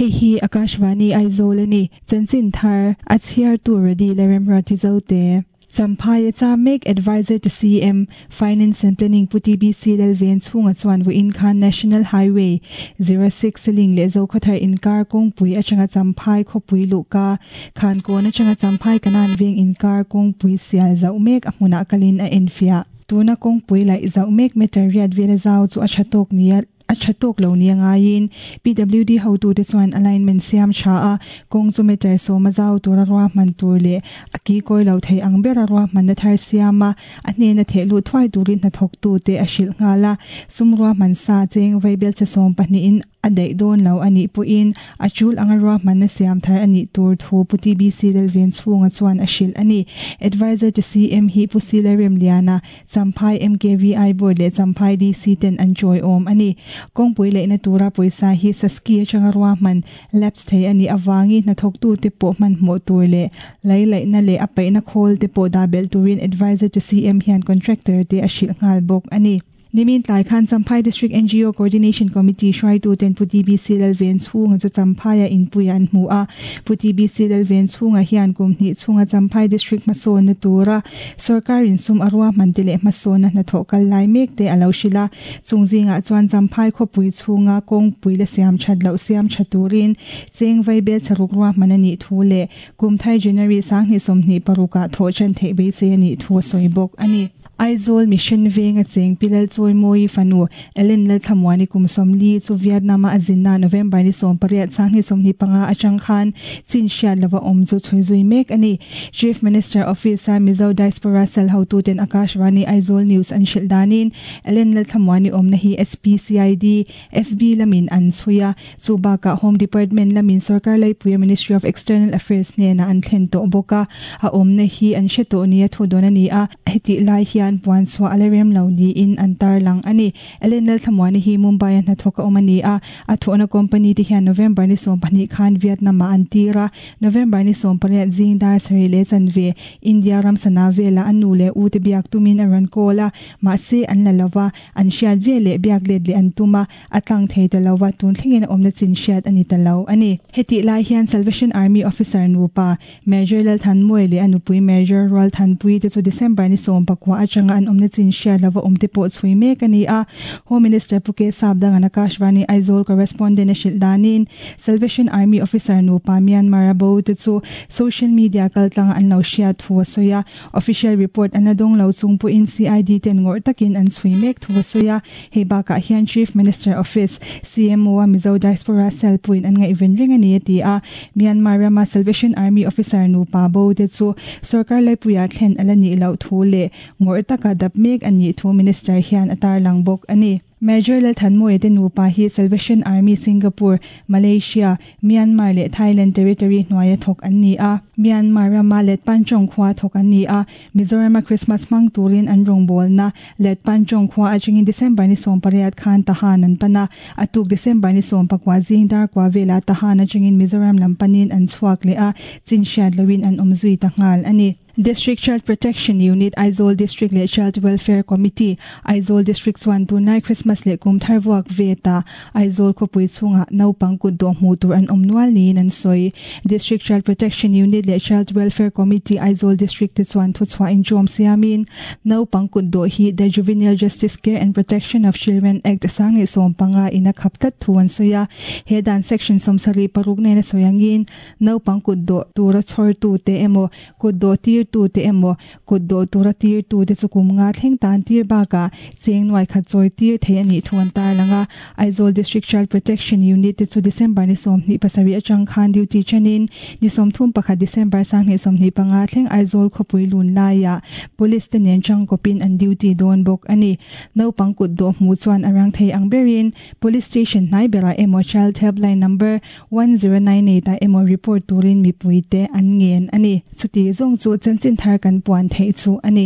Hei hi Akashvani Aizawl a ni. Chanchin thar a chhiartu Rody Lalremruati Zote. Champhai a cham mek Adviser to CM, Finance and Planning Pu TBC Lalven chhunga chuan vawiin khan National Highway 06 ling leh Zokhawthar inkar kawngpui atanga Champhai khawpui luhka Khankawn atanga Champhai Kanan veng inkar kawngpui sial zauh mek a hmunah kalin a enfiah. Tuna kawngpui laih zauh mek meter riat vela zau chu a tha tawk nia a tha tawk lo nia ngaiin PWD hotute chuan alignment siam tha a, kawng chu meter sawma zau tura ruahman tur leh a ki kawi lo thei ang bera ruahmanna thar siam a, a hnena theh luh thuai turin hnathawktute a hrilh nghal a, sum ruahman sa cheng vaibelchhe sawmpahnihin A daih dawn lo a nih pawhin a tul anga ruahmanna siam thar a nih tur thu Pu TBC Lalven chhunga chuan a hrilh a ni. Adviser to CM hi Pu Sila Remliana, Champhai MKVI Board leh Champhai DC ten an chawiawm a ni. Kawngpui leihna tura pawisa hi Saski atanga ruahman lapse thei a nih avangin hnathawktute pawh hmanhmawh tur leh lei laihna leh a paihna khawl te pawh dah belh turin Adviser to CM hian contractor te a hrilh nghal bawk a ni. Nimin tlai khan Champhai District NGO Coordination Committee hruaituten Pu TBC Lalven chhunga chu Champhaia inpuia an hmu a. Pu TBC Lalven chhunga hian kum hnih chhunga Champhai District hmasawnna tura sawrkarin sum a ruahman te leh hmasawnna hnathawh kal lai mek te a lo hrilh a. Chung zingah chuan Champhai khawpui chhunga kawngpui la siam that loh siam tha turin cheng vaibel chharuk ruahman a nih thu leh kum thar January 2026 ah thawh tan theih beisei a nih thu a sawi bawk a ni. Aizawl Mission venga cheng Pi Lalchawimawii fanu Ellen Lalthlamuani kum 40 chu Vietnam-a a zinna November ni 18 2025 atang khan chin hriat lova awm chu chhui zui mek a ni. Chief Minister Office-a Mizo Diaspora Cell hotuten Akashvani Aizawl News an hrilh danin Ellen Lalthlamuani awmna hi SPCID, SB lamin an chhui a, chu bakah Home Department lamin sorkar laipuia Ministry of External Affairs hnenah an thlen tawh bawk a, a awmna hi an hre tawh nia thu dawn a ni a, hetih lai hian puan chhuah a la rem lo niin an tarlang a ni. Ellen Lalthlamuani hi Mumbai-a hnathawk a awm a ni a, a thawhna company te hian November ni 12 khan Vietnam-ah an tir a, November ni 18 zing dar sarih leh chanve India ram sana velah a nu leh u te biak tumin a rawn call a, mahse an la lova. An hriat ve leh biak let leh an tum a, a tlang thei ta lo va, tun thlengin a awmna chin hriat a ni ta lo a ni. Hetih lai hian Salvation Army officer nupa Major Lalthanmawia leh a nupui Major Rualthanpuii te chu December ni 19 atanga an awmna chin hriat lova awm te pawh chhui mek a ni a. Home Minister Pu K Sapdangan Akashvani Aizawl correspondent a hrilh danin Salvation Army officer nupa Myanmar-a bo te chu social media kaltlanga an lo hriat thu a sawi a. Official report an la dawng lo chung pawhin CID ten ngawrh takin an chhui mek thu a sawi a, hei bakah hian Chief Minister Office, CMO, a Mizo Diaspora Cell pawhin an ngaihven reng a ni a ti a. Myanmar rama Salvation Army officer nupa bo te chu sorkar laipuiah thlen a la nih loh thu leh ngawrh taka dap mek a nih thu Minister hian a tarlang bawk a ni. Major Lalthanmawia te nupa hi Salvation Army Singapore, Malaysia, Myanmar leh Thailand territory hnuaia thawk an ni a. Myanmar rama Letpanchong khua thawk an ni a. Mizorama Christmas hmang turin an rawngbawlna Letpanchong khua atangin December ni 18 khan Tahan an pan a. A tuk December ni 19 zing dar kua velah Tahan atangin Mizoram lam panin an chhuak leh a, chin hriat loin an awm zui ta nghal a ni. District Child Protection Unit, Aizawl District leh Child Welfare Committee, Aizawl District chuan tunlai Christmas leh kum thar vuak ve ta Aizawl khawpui chhungah naupang kut dawh hmuh tur an awm nual niin an sawi. District Child Protection Unit leh Child Welfare Committee, Aizawl District te chuan thuchhuah inṭawm siamin naupang kut dawh hi The Juvenile Justice Care and Protection of Children Act 2015 in a khap tlat thu an sawi a. He dan Section 76 nena sawi angin naupang kut dawh tura chhawrtute emaw Kut dawh tirtute emaw, kut dawh tura tirtute chu kum nga thleng tan tir bakah cheng nuai khat chawi tir thei a nih thu an tarlang a. Aizawl District Child Protection Unit te chu December ni 27 atang khan duty chenin ni 31 December 2025 thleng Aizawl khawpui lun laiah Police te nen tangkawpin an duty dawn bawk a ni. Naupang kut dawh hmuh chuan a rang thei ang berin Police Station hnai berah emaw Child Helpline Number 1098 ah emaw report turin mipuite an ngen a ni. Chuti zawng chu chanchin thar kan puan theih chu a ni.